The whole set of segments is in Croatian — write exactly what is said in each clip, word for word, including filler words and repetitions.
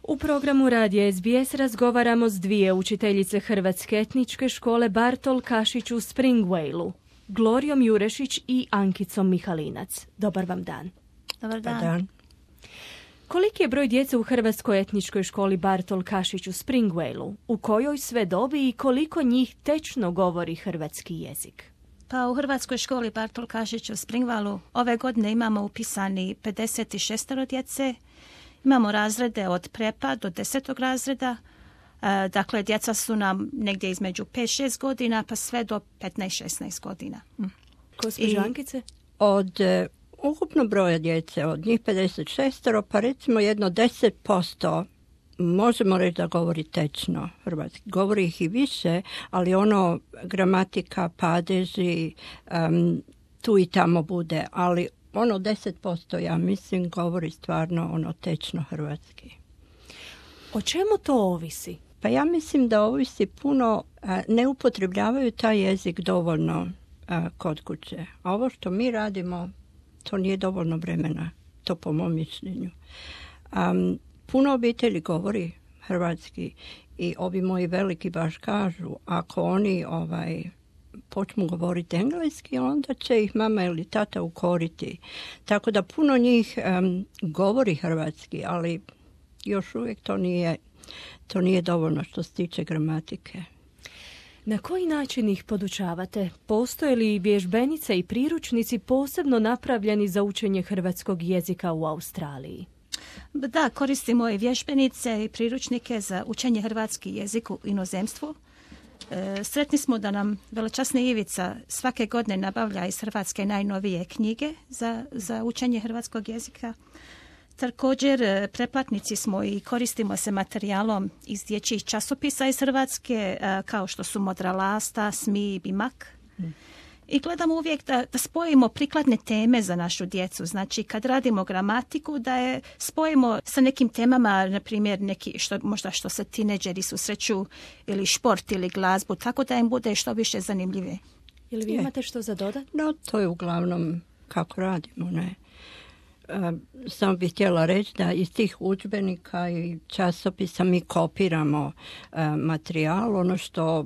U programu Radija S B S razgovaramo s dvije učiteljice Hrvatske etničke škole Bartol Kašić u Springvale-u, Glorijom Jurešić i Ankicom Mihalinac. Dobar vam dan. Dobar dan. Dobar dan. Koliki je broj djece u Hrvatskoj etničkoj školi Bartol Kašić u Springvale-u? U kojoj sve dobi i koliko njih tečno govori hrvatski jezik? Pa u Hrvatskoj školi Bartol Kašić u Springvaleu ove godine imamo upisani pedeset šest djece. Imamo razrede od prepa do desetog razreda. E, dakle, djeca su nam negdje između pet šest godina pa sve do petnaest šesnaest godina. Mm. Gospođo Ankice? Od e, ukupno broja djece, od njih pedeset šest, pa recimo jedno deset posto možemo reći da govori tečno hrvatski. Govori ih i više, ali ono gramatika, padeži, um, tu i tamo bude, ali ono deset posto, ja mislim, govori stvarno ono tečno hrvatski. O čemu to ovisi? Pa ja mislim da ovisi puno, a, ne upotrebljavaju taj jezik dovoljno a, kod kuće. A ovo što mi radimo, to nije dovoljno vremena, to po mom mišljenju. Um, puno obitelji govori hrvatski i ovi moji veliki baš kažu, ako oni ovaj počnu govoriti engleski, onda će ih mama ili tata ukoriti. Tako da puno njih um, govori hrvatski, ali još uvijek to nije, to nije dovoljno što se tiče gramatike. Na koji način ih podučavate? Postoje li vježbenice i priručnici posebno napravljeni za učenje hrvatskog jezika u Australiji? Da, koristimo i vježbenice i priručnike za učenje hrvatski jezik u inozemstvu. E, sretni smo da nam velečasni Ivica svake godine nabavlja iz Hrvatske najnovije knjige za, za učenje hrvatskog jezika. Također preplatnici smo i koristimo se materijalom iz dječjih časopisa iz Hrvatske, a, kao što su Modra lasta, Smi i Bimak. Hmm. I gledamo uvijek da, da spojimo prikladne teme za našu djecu. Znači, kad radimo gramatiku, da je spojimo sa nekim temama, na primjer, neki što, možda što se tineđeri susreću, ili šport, ili glazbu, tako da im bude što više zanimljivije. Ili vi imate što za dodat? No, to je uglavnom kako radimo, ne? Uh, samo bih htjela reći da iz tih udžbenika i časopisa mi kopiramo uh, materijal, ono što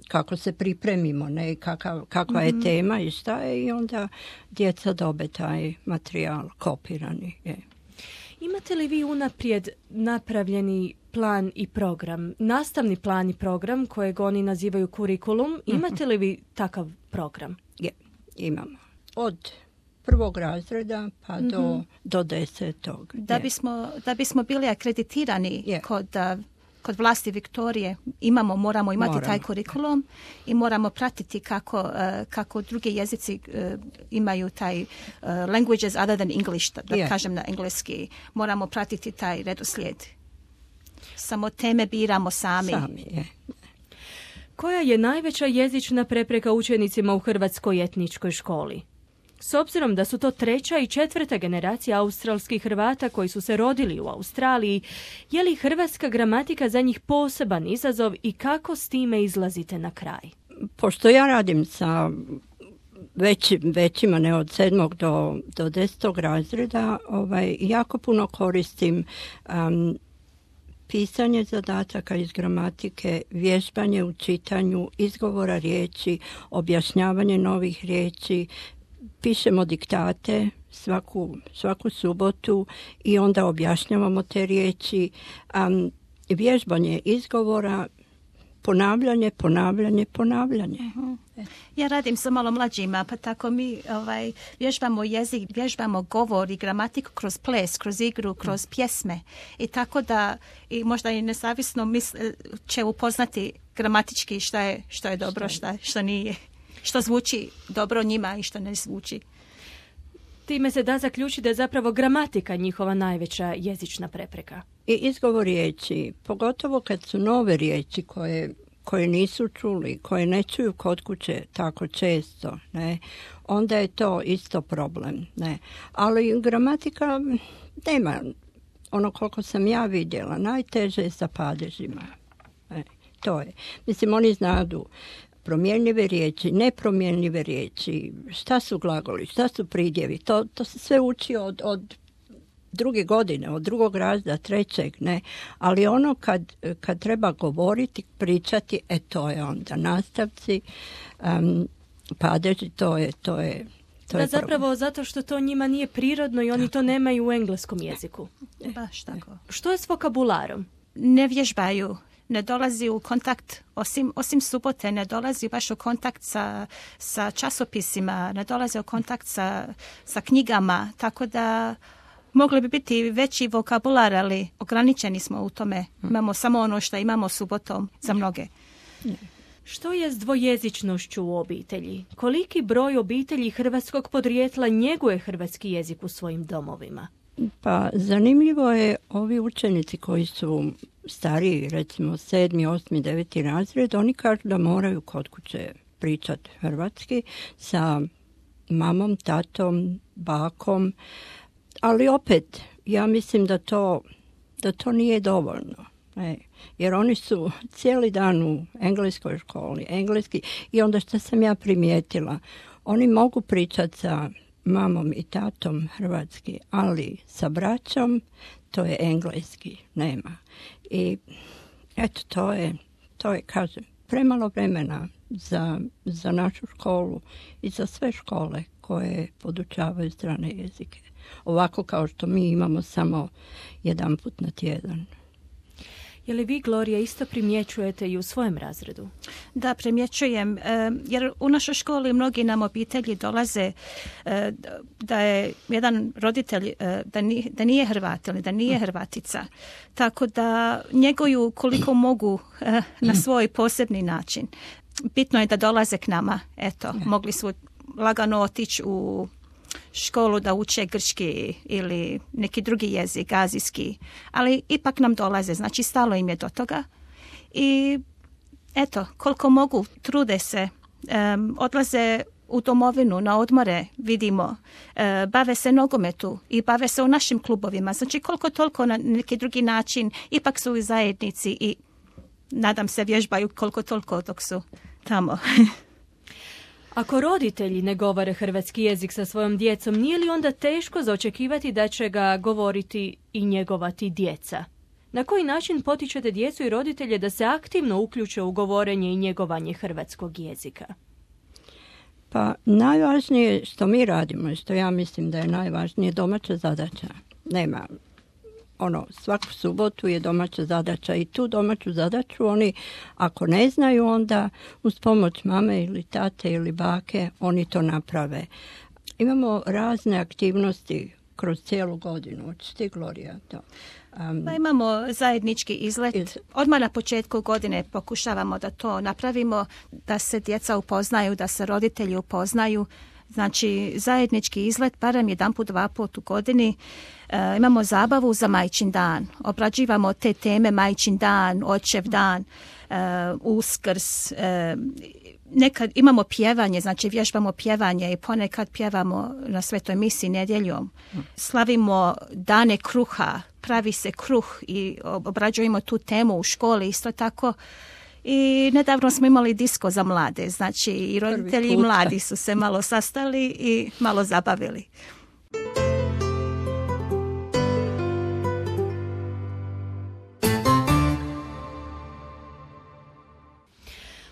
kako se pripremimo, ne, kakav, kakva je mm-hmm. tema i šta je, i onda djeca dobe taj materijal kopirani. Je. Imate li vi unaprijed napravljeni plan i program, nastavni plan i program kojeg oni nazivaju kurikulum? Imate li vi takav program? Je, imamo. Od prvog razreda pa mm-hmm. do, do desetog. Da bismo, da bismo bili akreditirani je. kod Kod vlasti Viktorije imamo, moramo imati moramo. taj kurikulum i moramo pratiti kako, uh, kako drugi jezici uh, imaju taj uh, languages other than English, da, da yeah. kažem na engleski. Moramo pratiti taj redoslijed. Samo teme biramo sami. Sami, je. Koja je najveća jezična prepreka učenicima u Hrvatskoj etničkoj školi? S obzirom da su to treća i četvrta generacija australskih Hrvata koji su se rodili u Australiji, je li hrvatska gramatika za njih poseban izazov i kako s time izlazite na kraj? Pošto ja radim sa veći, većima, ne od sedmog do, do desetog razreda, ovaj, jako puno koristim um, pisanje zadataka iz gramatike, vježbanje u čitanju, izgovora riječi, objašnjavanje novih riječi. Pišemo diktate svaku, svaku subotu i onda objašnjavamo te riječi. Um, vježbanje izgovora, ponavljanje, ponavljanje, ponavljanje. Uh-huh. Ja radim sa malo mlađima, pa tako mi ovaj, vježbamo jezik, vježbamo govor i gramatiku kroz ples, kroz igru, kroz pjesme. I tako da i možda i nezavisno misle, će upoznati gramatički šta je, što je dobro, šta, što nije. Što zvuči dobro njima i što ne zvuči. Time se da zaključiti da je zapravo gramatika njihova najveća jezična prepreka. I izgovor riječi, pogotovo kad su nove riječi koje, koje nisu čuli, koje ne čuju kod kuće tako često, ne, onda je to isto problem. Ne. Ali gramatika nema, ono koliko sam ja vidjela, najteže je sa padežima. Ne, to je. Mislim, oni znadu promjenljive riječi, nepromjenljive riječi, šta su glagoli, šta su pridjevi, to, to se sve uči od, od druge godine, od drugog razreda, trećeg, ne. Ali ono kad, kad treba govoriti, pričati, e to je onda nastavci, um, padeži, to je, to je, to da, je zapravo problem. zato što to njima nije prirodno i oni to nemaju u engleskom jeziku. Baš tako. Što je s vokabularom? Ne vježbaju, ne dolazi u kontakt, osim, osim subote, ne dolazi baš u kontakt sa, sa časopisima, ne dolazi u kontakt sa, sa knjigama, tako da mogli bi biti veći vokabular, ali ograničeni smo u tome. Imamo samo ono što imamo subotom za mnoge. Što je s dvojezičnošću u obitelji? Koliki broj obitelji hrvatskog podrijetla njeguje hrvatski jezik u svojim domovima? Pa zanimljivo je, ovi učenici koji su stariji, recimo sedmi, osmi, deveti razred, oni kažu da moraju kod kuće pričati hrvatski sa mamom, tatom, bakom, ali opet ja mislim da to, da to nije dovoljno. E, jer oni su cijeli dan u engleskoj školi, engleski, i onda što sam ja primijetila, oni mogu pričati sa mamom i tatom hrvatski, ali sa braćom to je engleski, nema. I eto, to je, to je, kažem, premalo vremena za, za našu školu i za sve škole koje podučavaju strane jezike. Ovako kao što mi imamo samo jedan put na tjedan. Je li vi, Gloria, isto primjećujete i u svojem razredu? Da, primjećujem, jer u našoj školi mnogi nam obitelji dolaze da je jedan roditelj da nije, da nije Hrvat ili da nije Hrvatica. Tako da njeguju koliko mogu na svoj posebni način. Bitno je da dolaze k nama. Eto, mogli su lagano otići u školu da uče grčki ili neki drugi jezik, azijski, ali ipak nam dolaze, znači stalo im je do toga. I eto, koliko mogu, trude se, um, odlaze u domovinu, na odmore, vidimo, uh, bave se nogometu i bave se u našim klubovima, znači koliko toliko na neki drugi način, ipak su u zajednici i nadam se vježbaju koliko toliko dok su tamo. Ako roditelji ne govore hrvatski jezik sa svojom djecom, nije li onda teško za očekivati da će ga govoriti i njegovati djeca? Na koji način potičete djecu i roditelje da se aktivno uključe u govorenje i njegovanje hrvatskog jezika? Pa najvažnije što mi radimo i što ja mislim da je najvažnije, domaća zadaća. Nema ono, svaku subotu je domaća zadaća i tu domaću zadaću oni, ako ne znaju, onda uz pomoć mame ili tate ili bake oni to naprave. Imamo razne aktivnosti kroz cijelu godinu. Hoćeš ti, Gloria, to? Um, pa imamo zajednički izlet. Iz... Odmah na početku godine pokušavamo da to napravimo, da se djeca upoznaju, da se roditelji upoznaju. Znači, zajednički izlet, barem jedan put, dva put u godini. E, imamo zabavu za Majčin dan. Obrađivamo te teme, Majčin dan, Očev dan, e, Uskrs. E, nekad imamo pjevanje, znači vježbamo pjevanje i ponekad pjevamo na Svetoj misi nedjeljom. Slavimo dane kruha, pravi se kruh i obrađujemo tu temu u školi isto tako. I nedavno smo imali disko za mlade, znači i roditelji i mladi su se malo sastali i malo zabavili.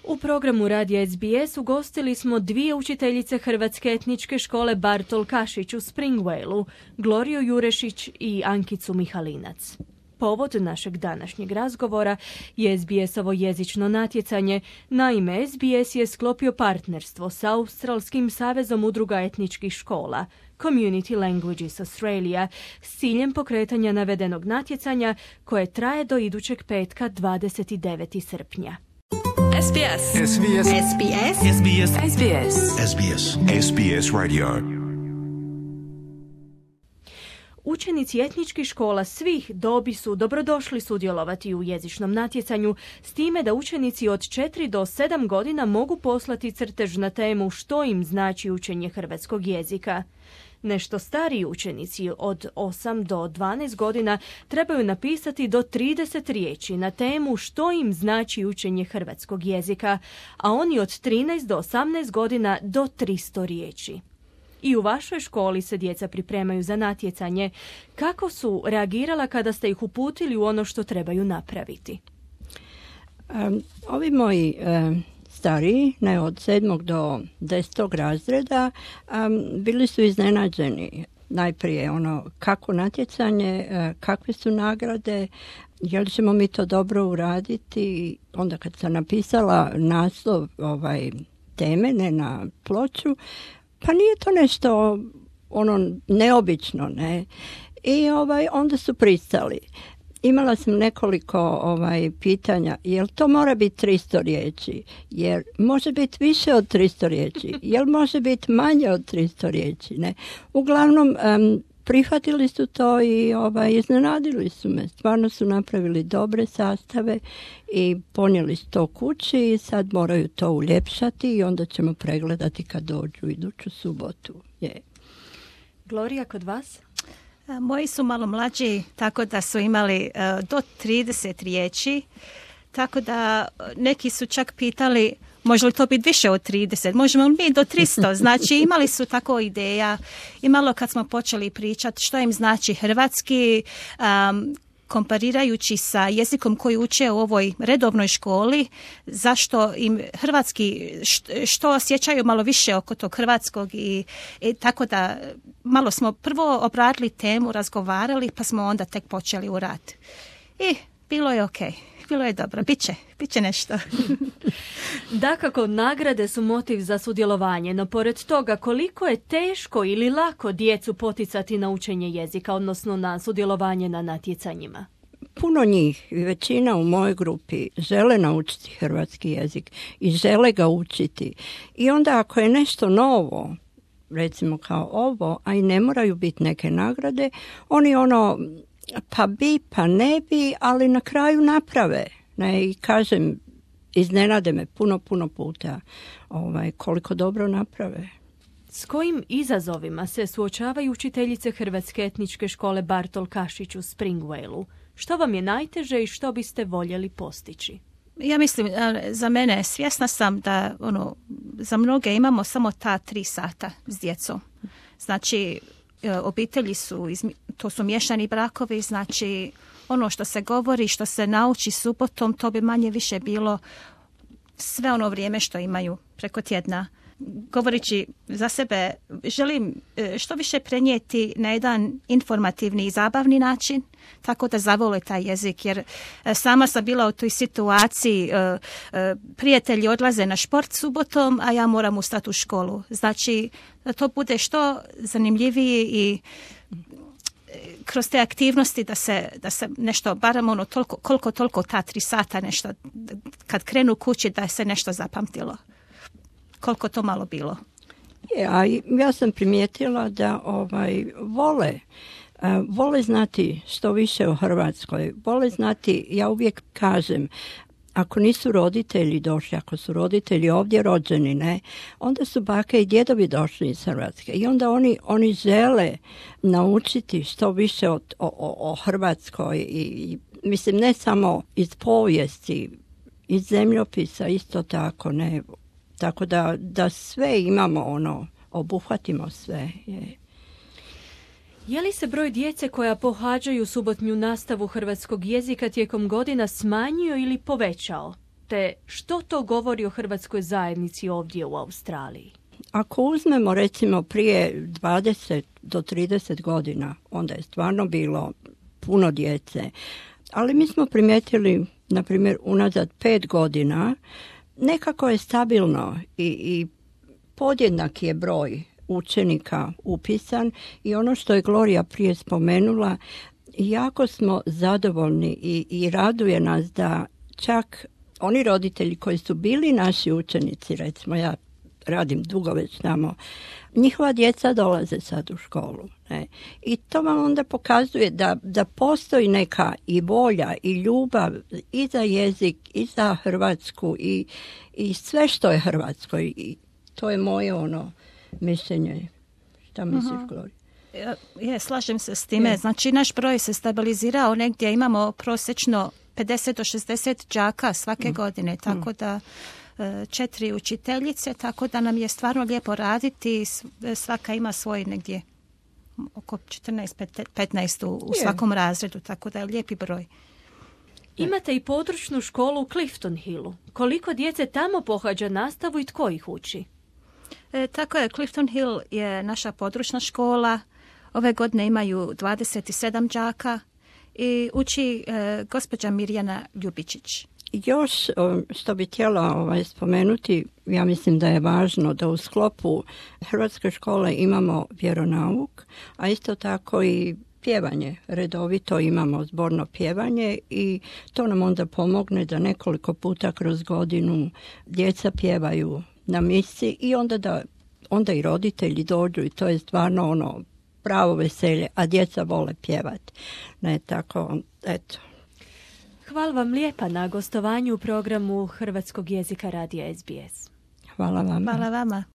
U programu Radija S B S ugostili smo dvije učiteljice Hrvatske etničke škole Bartol Kašić u Springvale-u, Gloriju Jurešić i Ankicu Mihalinac. Povod našeg današnjeg razgovora je S B S-ovo jezično natjecanje. Naime, S B S je sklopio partnerstvo sa Australskim savezom udruga etničkih škola, Community Languages Australia, s ciljem pokretanja navedenog natjecanja koje traje do idućeg petka dvadeset devetog srpnja. S B S. S B S. S B S. S B S. S B S. S B S. S B S Radio. Učenici etničkih škola svih dobi su dobrodošli sudjelovati u jezičnom natjecanju, s time da učenici od četiri do sedam godina mogu poslati crtež na temu što im znači učenje hrvatskog jezika. Nešto stariji učenici od osam do dvanaest godina trebaju napisati do trideset riječi na temu što im znači učenje hrvatskog jezika, a oni od trinaest do osamnaest godina do tristo riječi. I u vašoj školi se djeca pripremaju za natjecanje. Kako su reagirala kada ste ih uputili u ono što trebaju napraviti? Um, ovi moji um, stariji, ne od sedmog do desetog razreda, um, bili su iznenađeni. Najprije ono kako natjecanje, uh, kakve su nagrade, je li ćemo mi to dobro uraditi. Onda kad sam napisala naslov ovaj, teme, ne na ploču, pa nije to nešto ono neobično, ne. I ovaj, onda su pristali. Imala sam nekoliko ovaj, pitanja, jel to mora biti tristo riječi, jer može biti više od tristo riječi, jel može biti manje od tristo riječi, ne. Uglavnom, um, prihvatili su to i ovaj, iznenadili su me. Stvarno su napravili dobre sastave i ponijeli su to kući i sad moraju to uljepšati i onda ćemo pregledati kad dođu iduću subotu. Je. Gloria, kod vas? Moji su malo mlađi, tako da su imali uh, do trideset riječi, tako da neki su čak pitali može li to biti više od trideset, možemo li mi do tristo, znači imali su tako ideja i malo kad smo počeli pričati što im znači hrvatski, um, komparirajući sa jezikom koji uče u ovoj redovnoj školi, zašto im hrvatski, što osjećaju malo više oko tog hrvatskog i, i tako da malo smo prvo obradili temu, razgovarali pa smo onda tek počeli u rad. I bilo je okej. Bilo je dobro, bit će, bit će nešto. Dakako, nagrade su motiv za sudjelovanje, no pored toga koliko je teško ili lako djecu poticati na učenje jezika, odnosno na sudjelovanje na natjecanjima? Puno njih, većina u mojoj grupi žele naučiti hrvatski jezik i žele ga učiti. I onda ako je nešto novo, recimo kao ovo, a i ne moraju biti neke nagrade, oni ono... pa bi, pa ne bi, ali na kraju naprave. Ne, i kažem, iznenade me puno, puno puta ovaj, koliko dobro naprave. S kojim izazovima se suočavaju učiteljice Hrvatske etničke škole Bartol Kašić u Springvale-u? Što vam je najteže i što biste voljeli postići? Ja mislim, za mene, svjesna sam da ono, za mnoge imamo samo ta tri sata s djecom. Znači, obitelji su, to su miješani brakovi, znači ono što se govori, što se nauči subotom, to bi manje više bilo sve ono vrijeme što imaju preko tjedna. Govorići za sebe, želim što više prenijeti na jedan informativni i zabavni način, tako da zavole taj jezik, jer sama sam bila u toj situaciji, prijatelji odlaze na šport subotom, a ja moram ustati u školu. Znači, da to bude što zanimljiviji i kroz te aktivnosti da se, da se nešto, barem ono toliko, koliko toliko ta tri sata nešto, kad krenu kući da se nešto zapamtilo. Koliko to malo bilo. Je, a ja sam primijetila da ovaj, vole, uh, vole znati što više o Hrvatskoj. Vole znati, ja uvijek kažem, ako nisu roditelji došli, ako su roditelji ovdje rođeni, ne, onda su bake i djedovi došli iz Hrvatske. I onda oni, oni žele naučiti što više o, o, o Hrvatskoj. I, i, mislim, ne samo iz povijesti, iz zemljopisa, isto tako, ne. Tako da, da sve imamo, ono, obuhvatimo sve. Je. Je li se broj djece koja pohađaju subotnju nastavu hrvatskog jezika tijekom godina smanjio ili povećao? Te što to govori o hrvatskoj zajednici ovdje u Australiji? Ako uzmemo recimo prije dvadeset do trideset godina, onda je stvarno bilo puno djece. Ali mi smo primijetili, na primjer, unazad pet godina, nekako je stabilno i, i podjednak je broj učenika upisan i ono što je Gloria prije spomenula, jako smo zadovoljni i, i raduje nas da čak oni roditelji koji su bili naši učenici, recimo ja radim dugo već tamo, njihova djeca dolaze sad u školu. Ne? I to vam onda pokazuje da, da postoji neka i volja i ljubav i za jezik i za Hrvatsku i, i sve što je hrvatsko. I to je moje ono mišljenje. Šta misliš, uh-huh. Gloria? Je, slažem se s time. Je. Znači, naš broj se stabilizirao negdje. Imamo prosječno pedeset do šezdeset đaka svake mm. godine. Tako da četiri učiteljice, tako da nam je stvarno lijepo raditi. Svaka ima svoj negdje oko četrnaest petnaest u svakom razredu, tako da je lijepi broj. Imate i područnu školu u Clifton Hillu. Koliko djece tamo pohađa nastavu i tko ih uči? E, tako je, Clifton Hill je naša područna škola. Ove godine imaju dvadeset sedam đaka i uči e, gospođa Mirjana Ljubičić. Još što bi htjela ovaj, spomenuti, ja mislim da je važno da u sklopu hrvatske škole imamo vjeronauk, a isto tako i pjevanje. Redovito imamo zborno pjevanje i to nam onda pomogne da nekoliko puta kroz godinu djeca pjevaju na misi i onda da onda i roditelji dođu i to je stvarno ono pravo veselje, a djeca vole pjevati. Ne tako, eto. Hvala vam lijepa na gostovanju u programu hrvatskog jezika radija S B S. Hvala vama. Hvala vama.